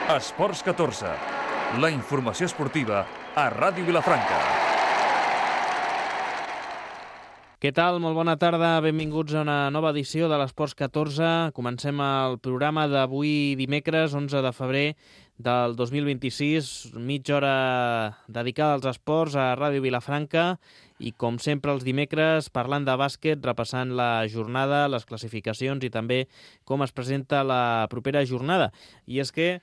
Esports 14, la informació esportiva a Ràdio Vilafranca. Què tal? Molt bona tarda, benvinguts a una nova edició de l'Esports 14. Comencem el programa d'avui dimecres, 11 de febrer del 2026, mitja hora dedicada als esports a Ràdio Vilafranca i, com sempre, els dimecres, parlant de bàsquet, repassant la jornada, les classificacions i també com es presenta la propera jornada. I és que,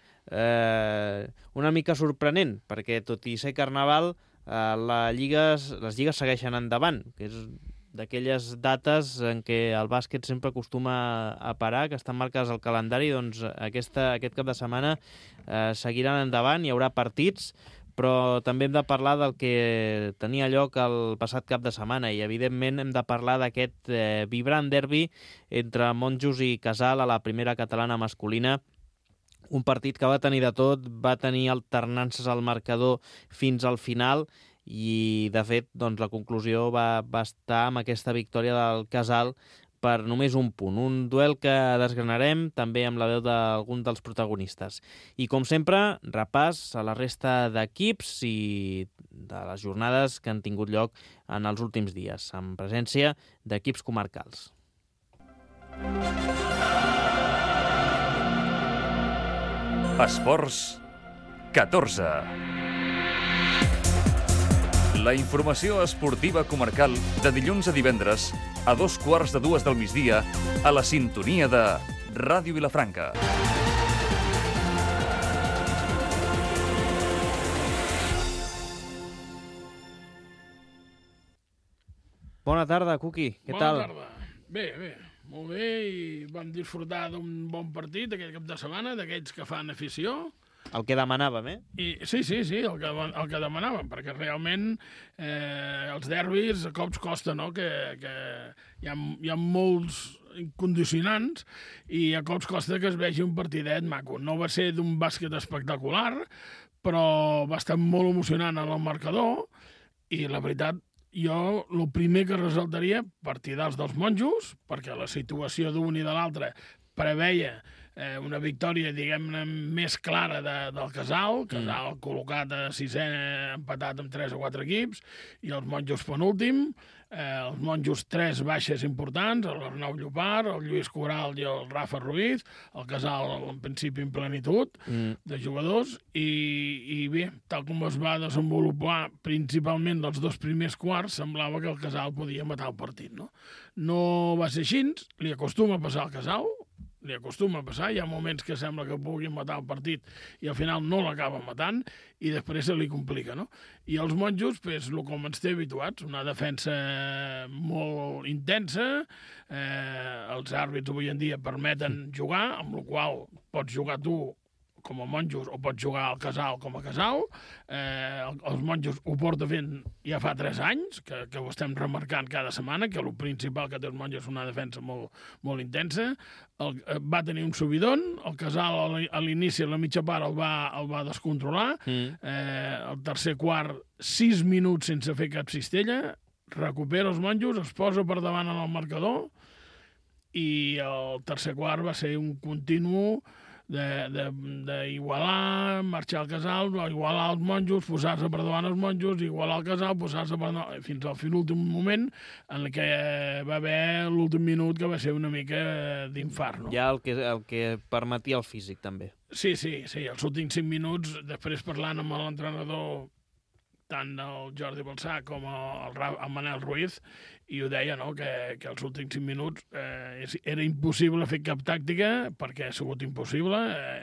una mica sorprenent, perquè tot i ser Carnaval, les lligues segueixen endavant, que és d'aquelles dates en què el bàsquet sempre acostuma a parar, que estan marcades al calendari, doncs aquest cap de setmana seguiran endavant, hi haurà partits, però també hem de parlar del que tenia lloc el passat cap de setmana i, evidentment, hem de parlar d'aquest vibrant derbi entre Monjos i Casal a la primera catalana masculina. Un partit que va tenir de tot, va tenir alternances al marcador fins al final i, de fet, doncs, la conclusió va estar amb aquesta victòria del Casal per només un punt. Un duel que desgranarem també amb la veu d'algun dels protagonistes. I, com sempre, repàs a la resta d'equips i de les jornades que han tingut lloc en els últims dies, amb presència d'equips comarcals. Esports 14. La informació esportiva comarcal de dilluns a divendres a 2:15 del migdia a la sintonia de Ràdio Vilafranca. Bona tarda, Cuqui. Què tal? Bona tarda. Bé, molt bé, i vam disfrutar d'un bon partit aquell cap de setmana, d'aquells que fan afició. El que demanàvem, Sí, el que demanàvem, perquè realment els derbis a cops costa, no?, que hi ha molts condicionants i a cops costa que es vegi un partidet maco. No va ser d'un bàsquet espectacular, però va estar molt emocionant en el marcador i, la veritat, jo el primer que ressaltaria, partidars dels Monjos, perquè la situació d'un i de l'altre preveia una victòria, diguem-ne, més clara del Casal col·locat a sisè, empatat amb 3 o 4 equips, i els Monjos penúltim. Els Monjos 3 baixes importants, l'Arnau Llopart, el Lluís Coral i el Rafa Ruiz, el Casal en principi en plenitud de jugadors, i bé, tal com es va desenvolupar principalment els 2 primers quarts, semblava que el Casal podia matar el partit, no? No va ser així, li acostuma a passar al Casal, hi ha moments que sembla que puguin matar el partit i al final no l'acaben matant i després se li complica, no? I els Monjos, com ens té habituats, una defensa molt intensa, els àrbits avui en dia permeten jugar, amb la qual pots jugar tu com a Monjos o pots jugar al Casal com a Casal. Els Monjos ho porta fent ja fa 3 anys, que ho estem remarcant cada setmana, que el principal que té els Monjos és una defensa molt, molt intensa. Va tenir un subidon, el Casal a l'inici, a la mitja part, el va descontrolar. El tercer quart, 6 minuts sense fer cap cistella, recupera els Monjos, es posa per davant en el marcador i el tercer quart va ser un continu d'igualar, marxar al Casal, igualar els Monjos, posar-se per davant els Monjos, igualar el Casal, posar-se per davant, fins al l'últim moment en què va haver l'últim minut que va ser una mica d'infart, no? Ja el que permetia el físic, també. Sí, els últims 5 minuts, després parlant amb l'entrenador, tant el Jordi Balsà com el Manel Ruiz, i ho deia, no?, que els últims 5 minuts era impossible fer cap tàctica, perquè ha sigut impossible,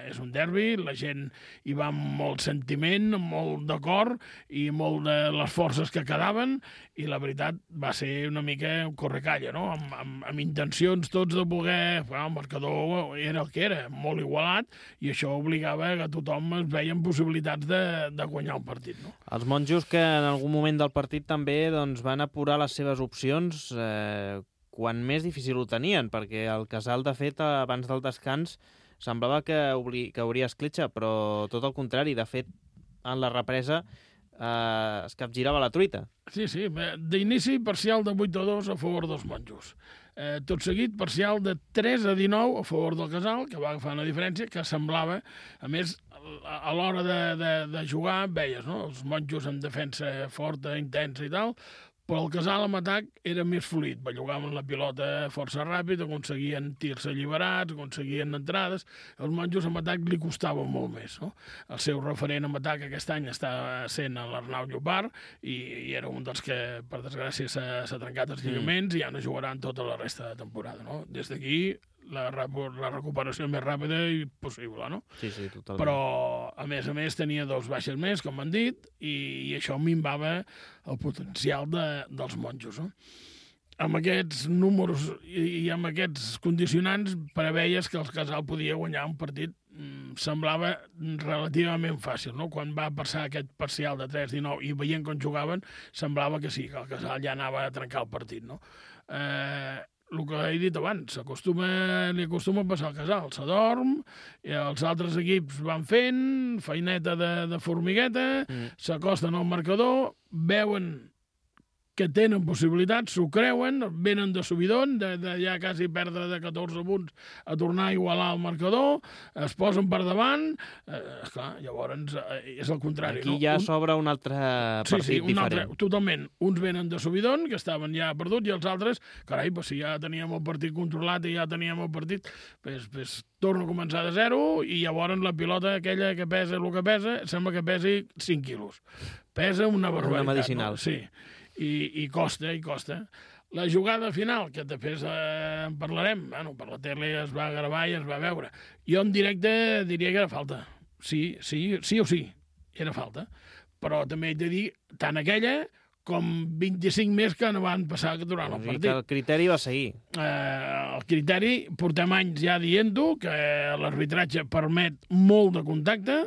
és un derbi, la gent hi va amb molt sentiment, amb molt d'acord, i molt de les forces que quedaven, i la veritat va ser una mica un correcalla, no?, amb intencions tots de voler... El marcador era el que era, molt igualat, i això obligava que tothom es veia amb possibilitats de guanyar el partit, no? Els Monjos que en algun moment del partit també van apurar les seves opcions quan més difícil ho tenien, perquè el Casal, de fet, abans del descans, semblava que hauria escletxa, però tot el contrari. De fet, en la represa es capgirava la truita. Sí, d'inici parcial de 8-2 a favor dels Monjos. Tot seguit, parcial de 3-19 a favor del Casal, que va agafar una diferència que semblava, a més, a l'hora de jugar, veies, no? Els monjos en defensa forta, intensa i tal, però el Casal en atac era més fluid, bellugaven la pilota força ràpid, aconseguien tirs alliberats, aconseguien entrades, els monjos en atac li costava molt més, no? El seu referent en atac aquest any està sent l'Arnau Llopart i era un dels que, per desgràcia, s'ha trencat els lligaments i ja no jugaran tota la resta de temporada, no? Des d'aquí la recuperació més ràpida possible, no? Sí, totalment. Però, a més, tenia 2 baixes més, com han dit, i això minvava el potencial dels monjos, no? Amb aquests números i amb aquests condicionants preveies que el Casal podia guanyar un partit semblava relativament fàcil, no? Quan va passar aquest parcial de 3-19 i veient com jugaven, semblava que sí, que el Casal ja anava a trencar el partit, no? El que he dit abans, li acostuma a passar al Casal, s'adorm, els altres equips van fent feineta de formigueta, s'acosten al marcador, veuen que tenen possibilitats, s'ho creuen, venen de subidon, de ja quasi perdre de 14 punts a tornar a igualar el marcador, es posen per davant, esclar, llavors és el contrari. Aquí ja s'obre un altre partit diferent. Altre, totalment. Uns venen de subidon, que estaven ja perduts, i els altres, carai, si ja teníem el partit controlat i ja teníem el partit, pues torno a començar de zero i llavors la pilota aquella que pesa el que pesa, sembla que pesi 5 quilos. Pesa una barbaritat. Una medicinal. No? Sí. I costa. La jugada final, que després en parlarem, bueno, per la tele es va gravar i es va veure. Jo en directe diria que era falta. Sí o sí, era falta. Però també he de dir, tant aquella com 25 més que no van passar durant el partit. El criteri va seguir. El criteri, portem anys ja dient-ho, que l'arbitratge permet molt de contacte,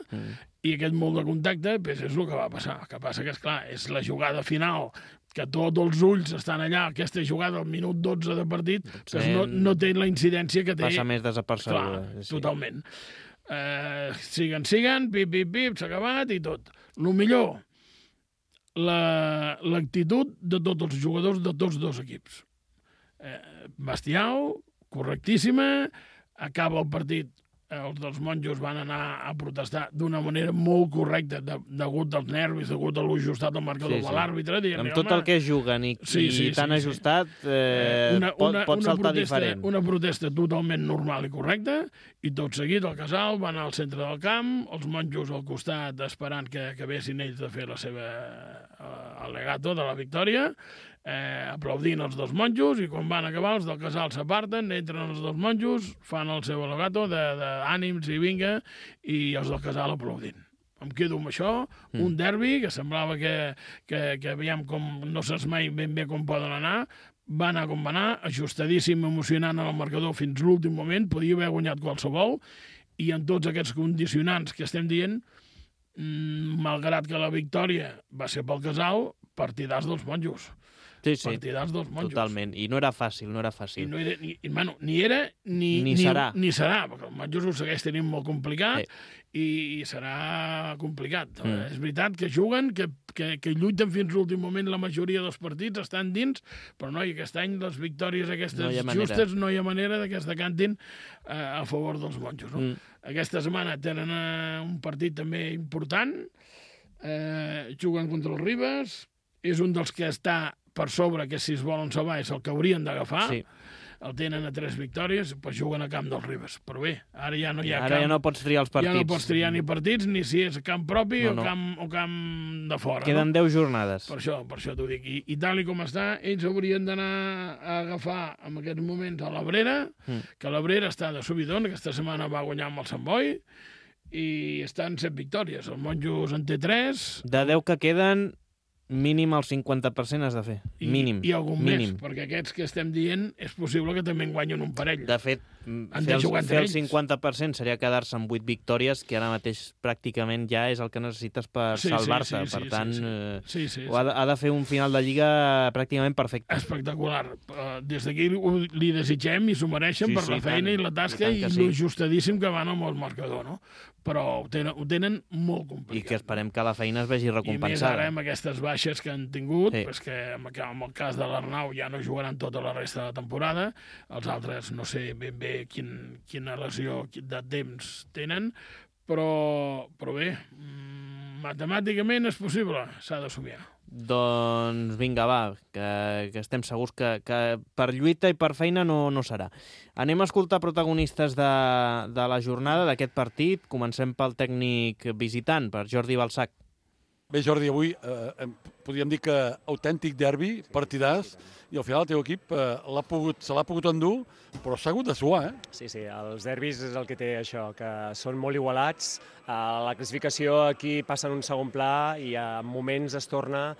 i aquest molt de contacte és el que va passar. El que passa que, esclar, és la jugada final, que tots els ulls estan allà, aquesta jugada al minut 12 de partit, que no té la incidència que té. Passa més desapercebuda. Clar, totalment. Siguen, pip, s'ha acabat i tot. El millor, l'actitud de tots els jugadors de tots 2 equips. Bestial, correctíssima, acaba el partit, els dels monjos van anar a protestar d'una manera molt correcta, degut als nervis, degut a l'ajustat del marcador de l'àrbitre. Amb tot el que juguen i tan ajustat, pot saltar diferent. Una protesta totalment normal i correcta, i tot seguit al Casal van al centre del camp, els monjos al costat esperant que acabessin ells de fer la seva al·legato de la victòria, aplaudint els 2 monjos, i quan van acabar els del Casal s'aparten, entren els 2 monjos, fan el seu al·legato d'ànims i vinga, i els del Casal aplaudint. Em quedo amb això, un derbi que semblava que veiem com no saps mai ben bé com poden anar, va anar com va anar, ajustadíssim, emocionant en el marcador fins l'últim moment, podia haver guanyat qualsevol, i en tots aquests condicionants que estem dient, malgrat que la victòria va ser pel Casal, partidars dels monjos. Sí, partidars dels monjos. Totalment. I no era fàcil, no era fàcil. Ni era, ni serà. Ni serà, perquè els monjos ho segueix tenint molt complicat, i serà complicat. És veritat que juguen, que lluiten fins l'últim moment, la majoria dels partits estan dins, però no, i aquest any les victòries aquestes justes no hi ha manera que es decantin a favor dels monjos. No? Aquesta setmana tenen un partit també important, juguen contra els Ribes, és un dels que està per sobre, que si es volen salvar és el que haurien d'agafar. Sí. El tenen a 3 victòries, doncs juguen a camp dels Ribes. Però bé, ara ja no hi ha camp. Ara ja no pots triar els partits. Ja no pots triar ni partits, ni si és camp propi o camp de fora. Queden 10 jornades. Per això t'ho dic. I tal com està, ells haurien d'anar a agafar en aquests moments a l'Abrera, que l'Abrera està de subidon, aquesta setmana va guanyar amb el Sant Boi, i estan 7 victòries. El Monjos en té 3. De 10 que queden, mínim el 50% has de fer. Mínim. I algun més, perquè aquests que estem dient és possible que també en guanyen un parell. De fet, fer el 50% seria quedar-se amb 8 victòries, que ara mateix pràcticament ja és el que necessites per salvar-te. Per tant, ha de fer un final de Lliga pràcticament perfecte. Espectacular. Des d'aquí li desitgem i s'ho mereixen per la feina i la tasca i l'ajustadíssim que van amb el marcador, no? Però ho tenen molt complicat. I que esperem que la feina es vegi recompensada. I més ara amb aquestes baixes que han tingut, que en el cas de l'Arnau ja no jugaran tota la resta de la temporada, els altres no sé ben bé quina lesió de temps tenen, però bé, matemàticament és possible, s'ha de somiar. Doncs vinga, va, que estem segurs que per lluita i per feina no serà. Anem a escoltar protagonistes de la jornada, d'aquest partit. Comencem pel tècnic visitant, per Jordi Balsac. Bé, Jordi, avui podríem dir que autèntic derbi, partidàs, i al final el teu equip se l'ha pogut endur, però s'ha hagut de suar, eh? Sí, els derbis és el que té això, que són molt igualats. La classificació aquí passa en un segon pla i en moments es torna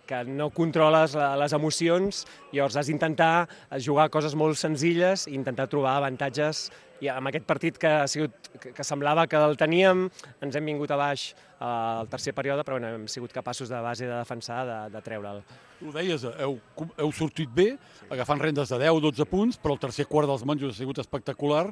que no controles les emocions, llavors has d'intentar jugar coses molt senzilles i intentar trobar avantatges. I amb aquest partit que semblava que el teníem, ens hem vingut a baix al tercer període, però hem sigut capaços de base de defensar, de treure'l. Tu ho deies, heu sortit bé, agafant rendes de 10-12 punts, però el tercer quart dels monjos ha sigut espectacular,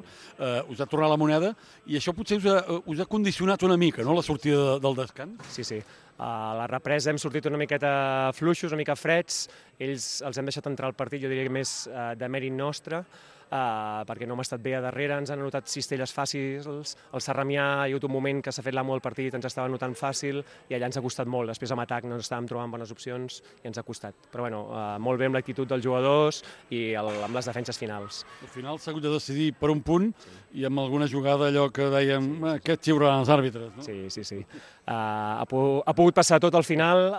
us ha tornat la moneda, i això potser us ha condicionat una mica, no?, la sortida del descans? Sí. A la represa hem sortit una miqueta fluixos, una mica freds, ells els hem deixat entrar al partit, jo diria que més de mèrit nostre, perquè no hem estat bé a darrere, ens han anotat cistelles fàcils, el Sarramià hi ha hagut un moment que s'ha fet l'amo del partit, ens estava anotant fàcil i allà ens ha costat molt, després amb atac no estàvem trobant bones opcions i ens ha costat, però bueno, molt bé amb l'actitud dels jugadors i amb les defenses finals. Al final s'ha hagut de decidir per un punt i amb alguna jugada allò que dèiem, aquest xiuran els àrbitres, no? Sí. Ha pogut passar tot al final,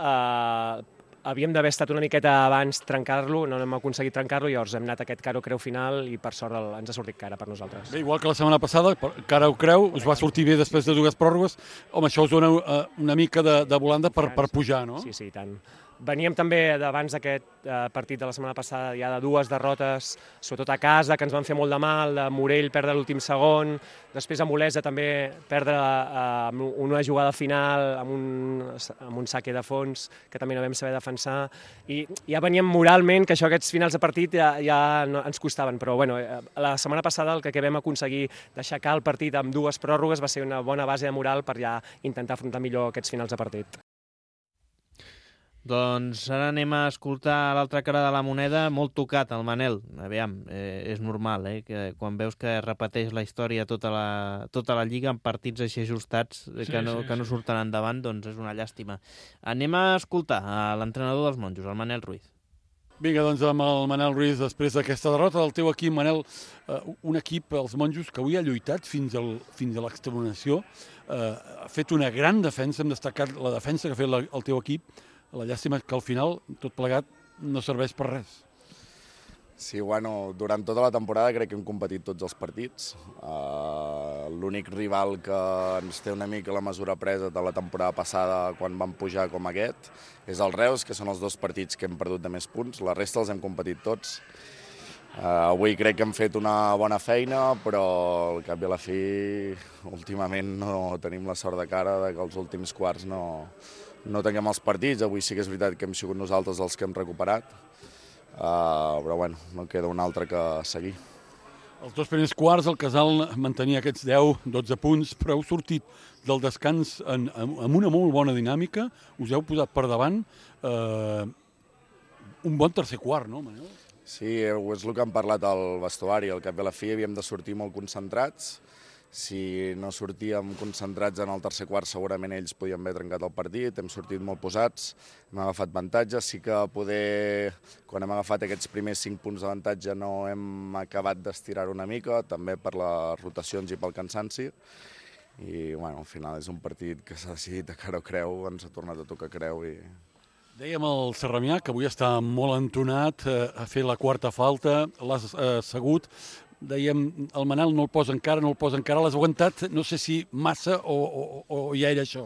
havíem d'haver estat una miqueta abans trencar-lo, no hem aconseguit trencar-lo, llavors hem anat a aquest cara o creu final i per sort ens ha sortit cara per nosaltres. Bé, igual que la setmana passada, cara o creu, us va sortir bé després de dues pròrrogues, home, això us dona una mica de volanda per pujar, no? Sí, i tant. Veníem també d'abans d'aquest partit de la setmana passada ja de dues derrotes, sobretot a casa, que ens van fer molt de mal, de Morell perdre l'últim segon, després a Olesa també perdre una jugada final amb un saque de fons, que també no vam saber defensar, i ja veníem moralment que aquests finals de partit ja ens costaven, però bueno, la setmana passada el que vam aconseguir d'aixecar el partit amb dues pròrrogues va ser una bona base de moral per ja intentar afrontar millor aquests finals de partit. Doncs ara anem a escoltar l'altra cara de la moneda, molt tocat, el Manel. Aviam, és normal, que quan veus que repeteix la història tota la lliga en partits així ajustats que no surten endavant, doncs és una llàstima. Anem a escoltar l'entrenador dels monjos, el Manel Ruiz. Vinga, doncs amb el Manel Ruiz, després d'aquesta derrota del teu equip, Manel, un equip, els monjos, que avui ha lluitat fins a l'exterminació, ha fet una gran defensa, hem destacat la defensa que ha fet el teu equip. La llàstima és que al final tot plegat no serveix per res. Sí, bueno, durant tota la temporada crec que hem competit tots els partits. L'únic rival que ens té una mica la mesura presa de la temporada passada quan vam pujar com aquest és el Reus, que són els dos partits que hem perdut de més punts. La resta els hem competit tots. Avui crec que hem fet una bona feina, però al cap i a la fi últimament no tenim la sort de cara que els últims quarts no tinguem els partits. Avui sí que és veritat que hem sigut nosaltres els que hem recuperat, però bueno, no queda un altre que seguir. Els dos primers quarts el Casal mantenia aquests 10-12 punts, però heu sortit del descans amb una molt bona dinàmica, us heu posat per davant un bon tercer quart, no, Manel? Sí, és el que hem parlat al vestuari. Al cap i a la fi havíem de sortir molt concentrats. Si no sortíem concentrats en el tercer quart, segurament ells podien haver trencat el partit. Hem sortit molt posats, hem agafat avantatge. Sí que quan hem agafat aquests primers 5 punts d'avantatge no hem acabat d'estirar una mica, també per les rotacions i pel cansanci. I bueno, al final és un partit que s'ha decidit a cara o creu, ens ha tornat a tocar creu. Dèiem al Sarramià que avui està molt entonat, ha fet la quarta falta, l'ha assegut. Dèiem, el Manel no el posa encara, l'has aguantat, no sé si massa o ja era això.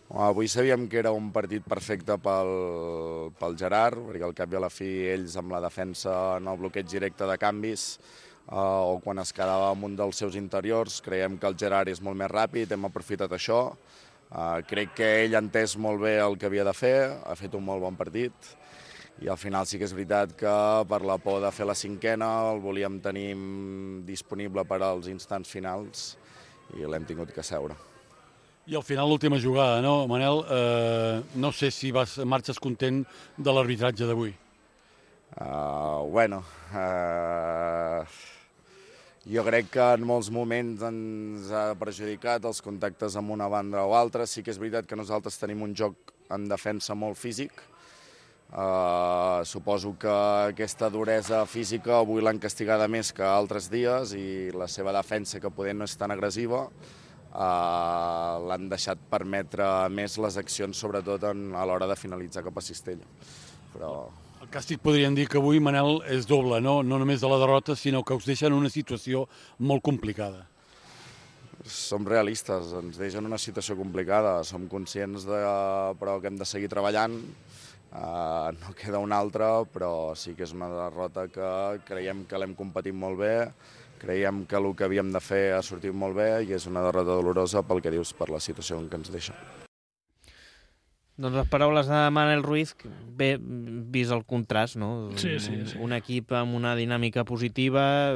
Avui sabíem que era un partit perfecte pel Gerard, perquè al cap i a la fi ells amb la defensa en el bloqueig directe de canvis o quan es quedava amb un dels seus interiors, creiem que el Gerard és molt més ràpid, hem aprofitat això. Crec que ell ha entès molt bé el que havia de fer, ha fet un molt bon partit. I al final sí que és veritat que per la por de fer la cinquena el volíem tenir disponible per als instants finals i l'hem tingut que seure. I al final l'última jugada, no, Manel? No sé si marxes content de l'arbitratge d'avui. Jo crec que en molts moments ens ha perjudicat els contactes amb una banda o altra. Sí que és veritat que nosaltres tenim un joc en defensa molt físic. Suposo que aquesta duresa física avui l'han castigada més que altres dies i la seva defensa, que poder no és tan agressiva, l'han deixat permetre més les accions, sobretot a l'hora de finalitzar cap a cistella. Però... El càstig podríem dir que avui, Manel, és doble, no només de la derrota, sinó que us deixa en una situació molt complicada. Som realistes, ens deixa en una situació complicada, som conscients però que hem de seguir treballant, no queda una altra, però sí que és una derrota que creiem que l'hem competit molt bé, creiem que el que havíem de fer ha sortit molt bé i és una derrota dolorosa pel que dius, per la situació en què ens deixa. Doncs les paraules de Manel Ruiz, bé, vist el contrast, no? Sí. Un equip amb una dinàmica positiva,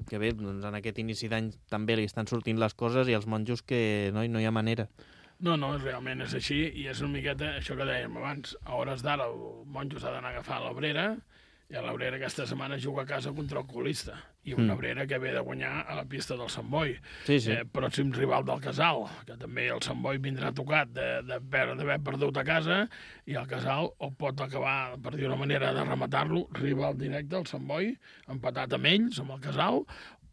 que bé, doncs en aquest inici d'any també li estan sortint les coses, i els monjos que no hi ha manera. No, realment és així, i és una miqueta això que dèiem abans. A hores d'ara el monjos ha d'anar a agafar l'Abrera, i l'Abrera aquesta setmana juga a casa contra el colista, i una Abrera que ve de guanyar a la pista del Sant Boi. Sí. Pròxim rival del Casal, que també el Sant Boi vindrà tocat d'haver perdut a casa, i el Casal o pot acabar, per dir una manera de rematar-lo, rival directe al Sant Boi, empatat amb ells, amb el Casal,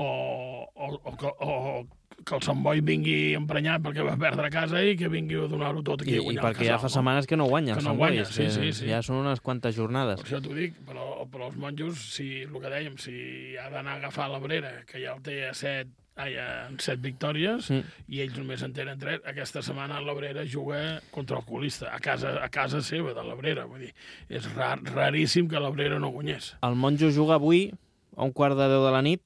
o que el Sant Boi vingui emprenyat perquè va perdre a casa i que vingui a donar-ho tot aquí a guanyar el Casal. I perquè ja fa setmanes que no guanya el Sant Boi. Sí. Ja són unes quantes jornades. Per això t'ho dic, però els monjos, el que dèiem, si ha d'anar a agafar l'Abrera, que ja el té en 7 victòries, i ells només en tenen 3, aquesta setmana l'Abrera juga contra el colista, a casa seva de l'Abrera. Vull dir, és raríssim que l'Abrera no guanyés. El monjo juga avui a 1:45 de la nit.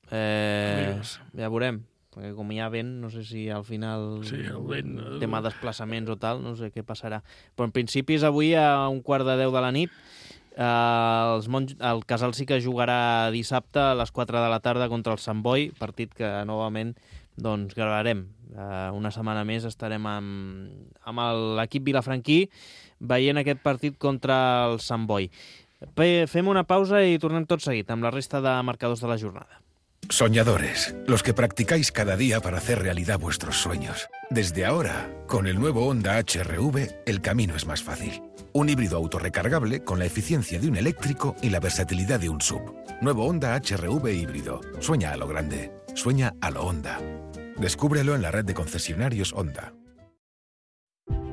Ja veurem, perquè com hi ha vent, no sé si al final el vent, tema de desplaçaments o tal, no sé què passarà. Però en principi és avui a 1:45 de la nit. El Casal sí que jugarà dissabte a les 4 de la tarda contra el Sant Boi, partit que novament doncs gravarem. Una setmana més estarem amb l'equip vilafranquí veient aquest partit contra el Sant Boi. Fem una pausa i tornem tot seguit amb la resta de marcadors de la jornada. Soñadores, los que practicáis cada día para hacer realidad vuestros sueños. Desde ahora, con el nuevo Honda HR-V, el camino es más fácil. Un híbrido autorrecargable con la eficiencia de un eléctrico y la versatilidad de un SUV. Nuevo Honda HR-V híbrido. Sueña a lo grande. Sueña a lo Honda. Descúbrelo en la red de concesionarios Honda.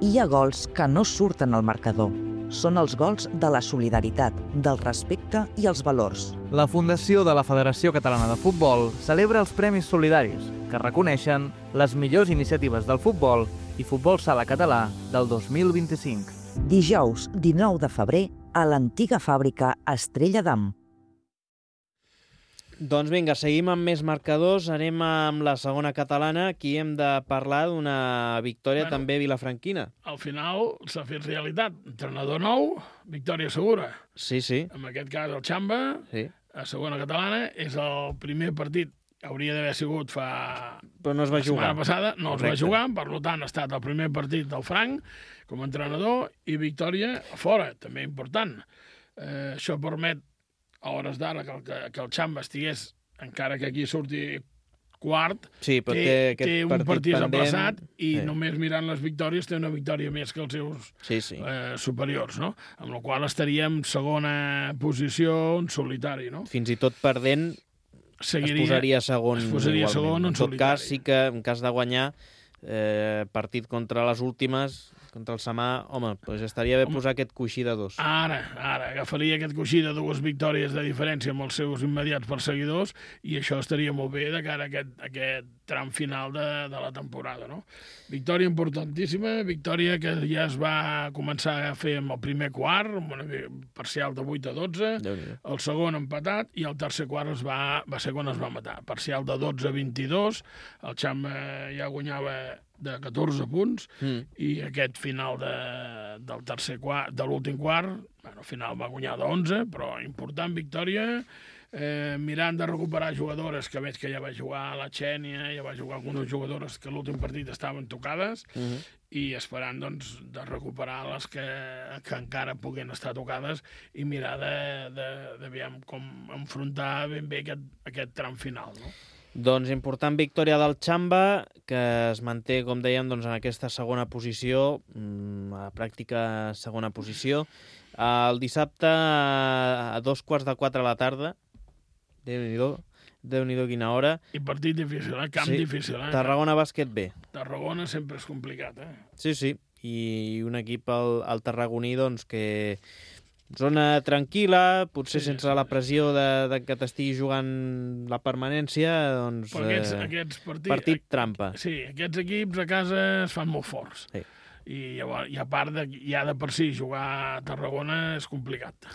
Hi ha gols que no surten al marcador. Són els gols de la solidaritat, del respecte i els valors. La Fundació de la Federació Catalana de Futbol celebra els Premis Solidaris, que reconeixen les millors iniciatives del futbol i futbol sala català del 2025. Dijous, 19 de febrer, a l'antiga fàbrica Estrella d'Am. Doncs vinga, seguim amb més marcadors. Anem amb la segona catalana. Aquí hem de parlar d'una victòria també vilafranquina. Al final s'ha fet realitat. Entrenador nou, victòria segura. Sí. En aquest cas el Xamba, a segona catalana, és el primer partit. Hauria d'haver sigut Però no es va jugar. La setmana passada no es va jugar, per tant ha estat el primer partit del Frank com a entrenador i victòria a fora, també important. Això permet a hores d'ara que el Xamba estigués, encara que aquí surti quart, té un partit aplaçat i només mirant les victòries té una victòria més que els seus superiors, no? Amb la qual estaríem segona posició en solitari, no? Fins i tot perdent es posaria segon. En tot cas, sí que en cas de guanyar partit contra les últimes, contra el Samà, home, doncs estaria bé posar aquest coixí de 2. Ara agafaria aquest coixí de 2 victòries de diferència amb els seus immediats perseguidors i això estaria molt bé de cara a aquest tram final de la temporada, no? Victòria importantíssima, victòria que ja es va començar a fer amb el primer quart, amb una parcial de 8-12, el segon empatat i el tercer quart va ser quan es va matar. Parcial de 12-22, el Xamba ja guanyava de 14 punts i aquest final del tercer quart, de l'últim quart, al final va guanyar de 11, però important victòria mirant de recuperar jugadores, que veig que ja va jugar a la Xènia, ja va jugar algunes jugadores que l'últim partit estaven tocades, i esperant doncs, de recuperar les que encara puguen estar tocades i mirar de com enfrontar ben bé aquest tram final, no? Doncs important victòria del Xamba, que es manté, com dèiem, doncs, en aquesta segona posició, a pràctica segona posició. El dissabte a 3:45 de la tarda, Déu-n'hi-do quina hora. I partit difícil, camp difícil. Tarragona Bàsquet B. Tarragona sempre és complicat, Sí, i un equip, el tarragoní, doncs, que zona tranquil·la, potser sense la pressió de que t'estigui jugant la permanència, doncs aquests partit trampa. Sí, aquests equips a casa es fan molt forts. Sí. I a part ja de per si jugar a Tarragona és complicat.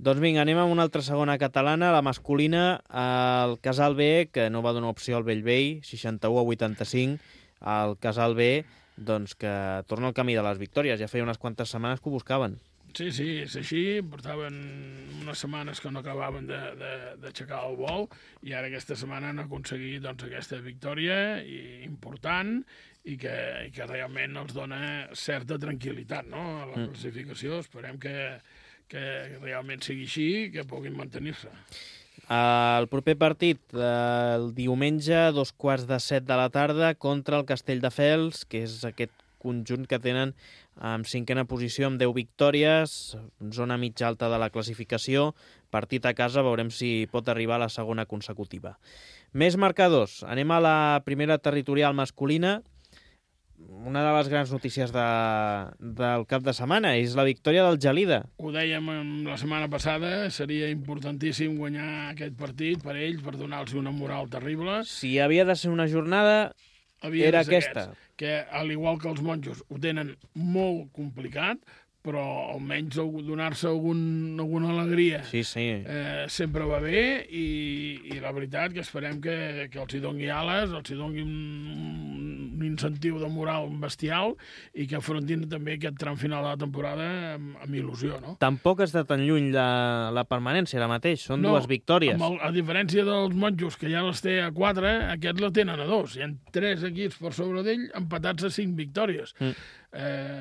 Doncs vinga, anem a una altra segona catalana, la masculina, el Casal B, que no va donar opció al Bellvei, 61-85, el Casal B, doncs que torna al camí de les victòries, ja feia unes quantes setmanes que ho buscaven. Sí, és així, portaven unes setmanes que no acabaven d'aixecar el vol i ara aquesta setmana han aconseguit doncs, aquesta victòria important i que realment els dona certa tranquil·litat, no? A la classificació. Esperem que realment sigui així i que puguin mantenir-se. El proper partit, el diumenge, a 6:45 de la tarda, contra el Castelldefels, que és aquest conjunt que tenen en cinquena posició amb 10 victòries, zona mitja alta de la classificació, partit a casa, veurem si pot arribar a la segona consecutiva. Més marcadors, anem a la primera territorial masculina. Una de les grans notícies del cap de setmana és la victòria del Gelida. Ho dèiem la setmana passada, seria importantíssim guanyar aquest partit per ells, per donar-los una moral terrible. Si havia de ser una jornada, era aquesta. Que, al igual que els monjos, ho tenen molt complicat, però almenys donar-se alguna alegria sempre va bé i la veritat que esperem que els hi doni ales, els hi doni un incentiu de moral bestial i que afrontin també aquest tram final de la temporada amb il·lusió, no? Tampoc està tan lluny la permanència ara mateix, són dues victòries. A diferència dels monjos, que ja les té a 4, aquests la tenen a 2. Hi ha 3 equips per sobre d'ell empatats a 5 victòries.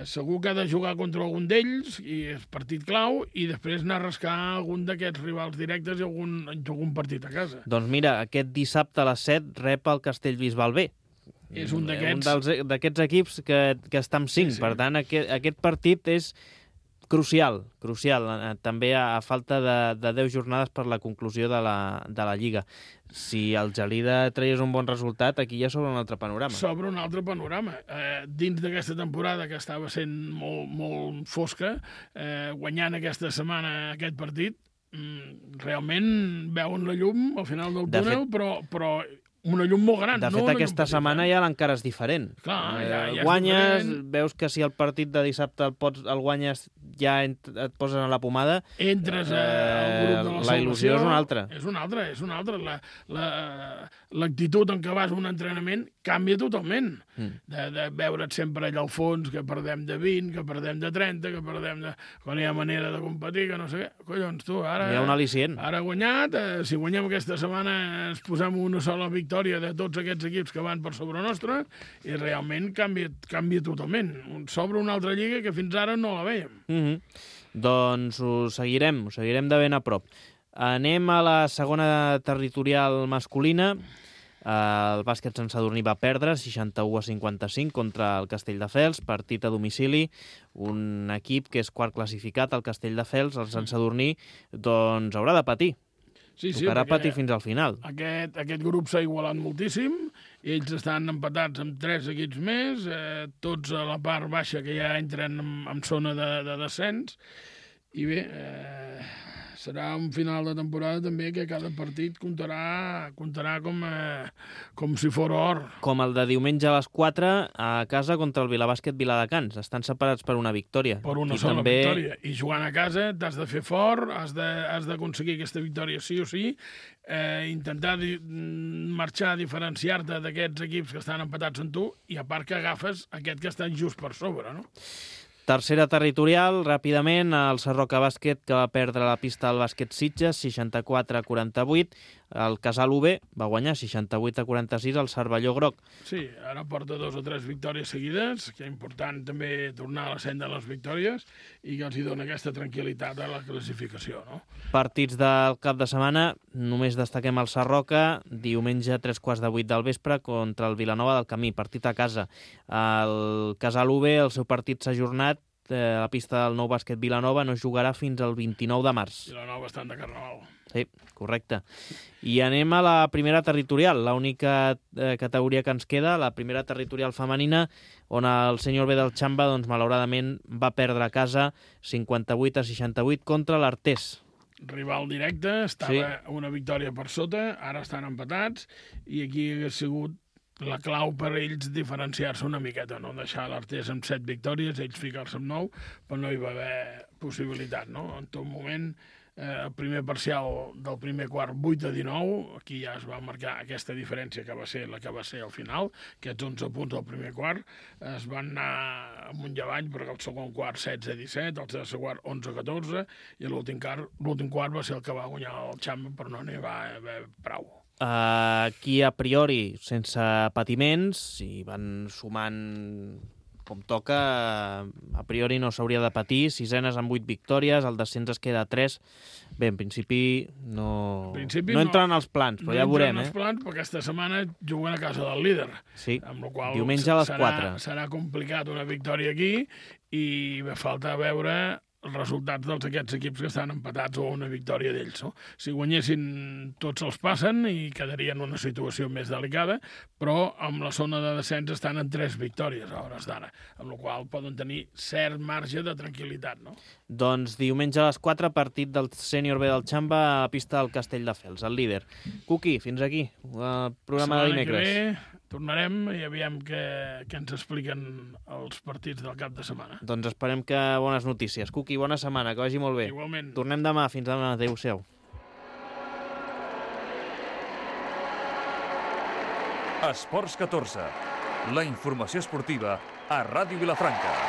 Segur que ha de jugar contra algun d'ells i és partit clau i després anar a rascar algun d'aquests rivals directes i algun partit a casa. Doncs mira, aquest dissabte a les 7 rep el Castellbisbal B. És un d'aquests equips que està amb 5, per tant aquest partit és crucial, també a falta de 10 jornades per la conclusió de la Lliga. Si el Gelida traies un bon resultat, aquí ja s'obre un altre panorama. S'obre un altre panorama. Dins d'aquesta temporada, que estava sent molt fosca, guanyant aquesta setmana aquest partit, realment veuen la llum al final del túnel, però una llum molt gran. De fet, aquesta setmana ja l'encara és diferent. Clar, ja guanyes, veus que si el partit de dissabte el guanyes, ja et poses a la pomada. Entres al grup de la salvació. La il·lusió és una altra. És una altra. L'actitud en què vas a un entrenament canvia totalment. De veure't sempre allà al fons, que perdem de 20, que perdem de 30, que perdem de... Quan hi ha manera de competir, que no sé què. Collons, tu, ara... Hi ha un al·licient. Ara guanyat, si guanyem aquesta setmana ens posem una sola victòria de tots aquests equips que van per sobre nostre i realment canvia totalment. S'obre una altra lliga que fins ara no la vèiem. Doncs ho seguirem de ben a prop. Anem a la segona territorial masculina. El bàsquet Sant Sadurní va perdre 61-55 contra el Castelldefels, partit a domicili. Un equip que és quart classificat, el Castelldefels, el Sant Sadurní, doncs haurà de patir. Tocarà patir fins al final. Aquest grup s'ha igualat moltíssim, ells estan empatats amb 3 equips més, tots a la part baixa que ja entren en zona de descens, i bé, serà un final de temporada també que cada partit comptarà com si fos or. Com el de diumenge a les 4 a casa contra el Vilabàsquet Viladecans. Estan separats per una victòria. Per una sola victòria. I jugant a casa t'has de fer fort, has d'aconseguir aquesta victòria sí o sí, intentar marxar, diferenciar-te d'aquests equips que estan empatats amb tu i a part que agafes aquest que està just per sobre, no? Tercera territorial, ràpidament, el Sarroca Bàsquet, que va perdre la pista al Bàsquet Sitges, 64-48. El Casal UB va guanyar 68-46 al Cervelló Groc. Sí, ara porta 2 o 3 victòries seguides, que és important també tornar a la senda de les victòries i que els hi dona aquesta tranquil·litat a la classificació, no? Partits del cap de setmana, només destaquem el Sarroca, diumenge a 7:45 del vespre contra el Vilanova del Camí, partit a casa. El Casal UB, el seu partit s'ha ajornat, a la pista del Nou Bàsquet Vilanova no jugarà fins al 29 de març. Vilanova estan de carnaval. Sí, correcte. I anem a la primera territorial, l'única categoria que ens queda, la primera territorial femenina, on el Sènior B del Xamba, doncs, malauradament, va perdre a casa 58-68 contra l'Artés. Rival directe, estava una victòria per sota, ara estan empatats, i aquí hagués sigut la clau per ells diferenciar-se una miqueta, no deixar l'Artés amb 7 victòries, ells ficar-se amb 9, però no hi va haver possibilitat, no? En tot moment, el primer parcial del primer quart 8-19, aquí ja es va marcar aquesta diferència que va ser la que va ser al final, aquests 11 punts del primer quart es van anar amunt i avall, perquè el segon quart 16-17, el tercer quart 11-14, i l'últim quart va ser el que va guanyar el Xamba, però no n'hi va haver prou. Aquí, a priori, sense patiments, i van sumant com toca, a priori no s'hauria de patir, 6enes amb 8 victòries, el descens es queda a 3. Bé, en principi no entren als plans, però ja veurem. No entren als plans, perquè aquesta setmana juguen a casa del líder. Sí, amb la qual diumenge a les 4. Serà complicat una victòria aquí i falta veure els resultats d'aquests equips que estan empatats o una victòria d'ells. No? Si guanyessin, tots els passen i quedarien en una situació més delicada, però amb la zona de descens estan en 3 victòries a hores d'ara, amb la qual poden tenir cert marge de tranquil·litat. No? Doncs diumenge a les 4, partit del Sènior B del Xamba a la pista del Castelldefels, el líder. Cuqui, fins aquí, el programa de dimecres. Setmana que ve tornarem i aviam què ens expliquen els partits del cap de setmana. Doncs esperem que bones notícies. Cuqui, bona setmana, que vagi molt bé. Igualment. Tornem demà, fins demà. Adéu-siau. Esports 14, la informació esportiva a Ràdio Vilafranca.